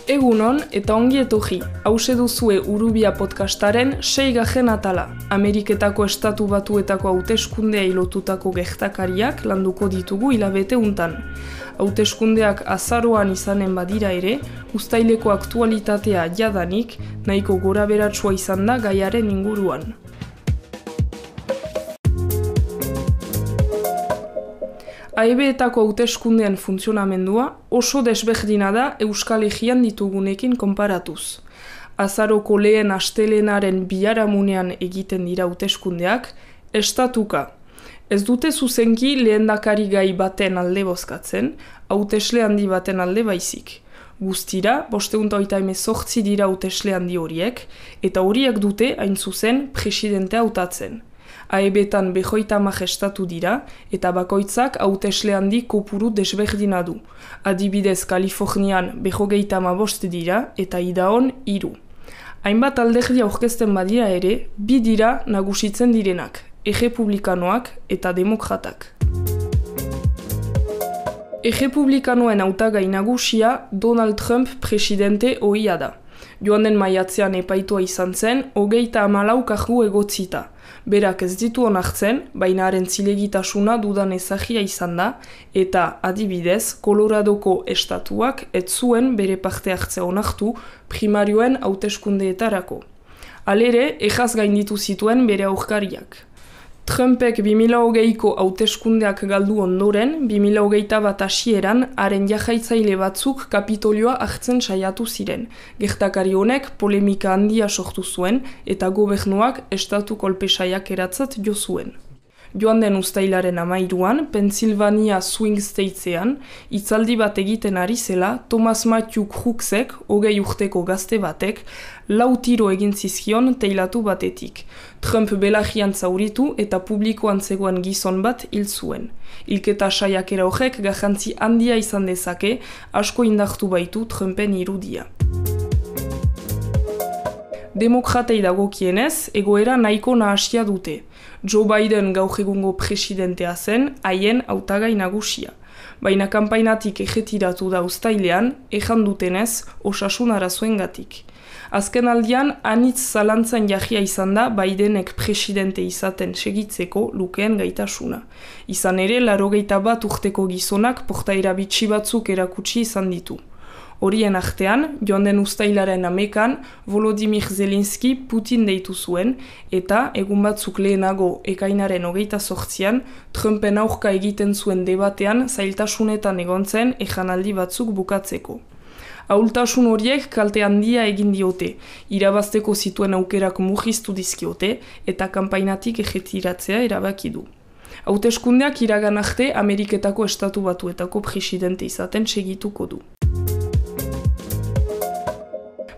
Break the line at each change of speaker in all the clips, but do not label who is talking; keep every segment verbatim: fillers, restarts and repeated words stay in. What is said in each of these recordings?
Egunon eta ongi etorri, hause duzue Urubia podcastaren seigarren atala. Ameriketako estatu batuetako hauteskundea lotutako gertakariak landuko ditugu hilabete untan. Hauteskundeak azaroan izanen badira ere, uztaileko aktualitatea jadanik, nahiko goraberatsua izan da gaiaren inguruan. A E B-etako hauteskundean funtzionamendua oso desberdina da Euskal Herrian ditugunekin konparatuz. Azaroko lehen astelenaren biharamunean egiten dira hauteskundeak, estatuka. Ez dute zuzenki lehendakari gai baten alde bozkatzen, hautesle handi baten alde baizik. Guztira, bosteun eta hogeita hemezortzi dira hautesle handi horiek, eta horiek dute hain zuzen presidentea hautatzen. A E B-tan behoita hamar estatu dira, eta bakoitzak hautesle handi kopuru desberdina du. Adibidez, Kalifornian behogeita hamabost dira, eta Idaon hiru. Hainbat alderdi aurkezten badira ere, bi dira nagusitzen direnak, errepublikanoak eta demokratak. Errepublikanoen hautagai nagusia Donald Trump presidente ohia da. Joan den maiatzean epaitua izan zen, hogeita hamalau kargu egotzita. Berak ez ditu onartzen, baina haren zilegitasuna dudan ezagia izan da, eta adibidez, Coloradoko estatuak ez zuen bere parte hartzea onartu primarioen hauteskundeetarako. Halere, ejaz gainditu zituen bere aurkariak. Trumpek bi mila hogeiko hauteskundeak galdu ondoren, bi mila hogeita bat hasieran, haren jahaitzaile batzuk Kapitolioa hartzen saiatu ziren. Gertakari honek polemika handia sortu zuen eta gobernuak estatu kolpesaiak eratzat jo zuen. Joan den uztailaren hamairuan, Pennsylvania Swing Statesean, hitzaldi bat egiten ari zela, Thomas Matthew Crooksek, hogei urteko gazte batek, lau tiro egin zizkion teilatu batetik. Trump belarrian zauritu eta publikoan zegoen gizon bat hil zuen. Hilketa saiakera horrek garrantzi handia izan dezake, asko indartu baitu Trumpen irudia. Demokratei dagokienez, egoera nahiko nahasia dute. Joe Biden gaur egungo presidentea zen, haien hautagai nagusia. Baina kanpainatik ejetiratu da uztailean, ejan dutenez, osasun arazoengatik. Azken aldian, anitz zalantzan jarria izan da Bidenek presidente izaten segitzeko lukeen gaitasuna. Izan ere, laurogeita bat urteko gizonak portaera bitxi batzuk erakutsi izan ditu. Horien artean, joan den uztailaren hamekan, Volodymyr Zelensky Putin deitu zuen, eta egun batzuk lehenago ekainaren hogeita zortzian, Trumpen aurka egiten zuen debatean zailtasunetan egon zen ejanaldi batzuk bukatzeko. Ahultasun horiek kalte handia egin diote, irabazteko zituen aukerak murriztu dizkiote eta kanpainatik ejetiratzea erabaki du. Hauteskundeak iragan arte Ameriketako estatu batuetako presidente izaten segituko du.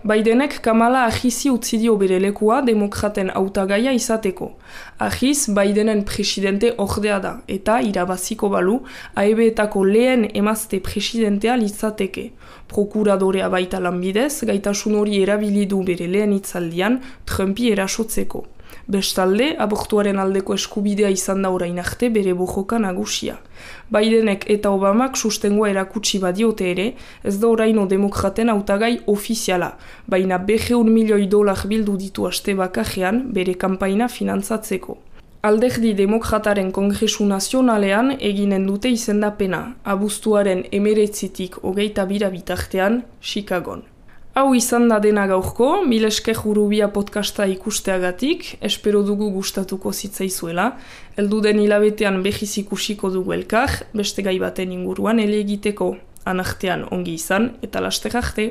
Bidenek Kamala Harrisi utzi dio bere lekua demokraten hautagaia izateko. Harris Bidenen presidente ordea da, eta irabaziko balu, A E B-etako lehen emazte presidentea litzateke. Prokuradorea baita lanbidez, gaitasun hori erabili du bere lehen hitzaldian Trumpi erasotzeko. Bestalde, abortuaren aldeko eskubidea izan da orain arte bere bojoka nagusia. Bidenek eta Obamak sustengoa erakutsi badiote ere, ez da oraino demokraten hautagai ofiziala, baina berrehun milioi dolar bildu ditu aste bakarrean bere kanpaina finantzatzeko. Alderdi demokrataren Kongresu Nazionalean eginen dute izendapena, abuztuaren hemeretzitik hogeita bira bitartean, Chicagon. Hau izan da dena gaurko, mil esker Urubia podcasta ikusteagatik, espero dugu gustatuko zitzaizuela, helduden hilabetean behiz ikusiko dugu elkar, beste gai baten inguruan ele egiteko, anartean ongi izan eta laster arte.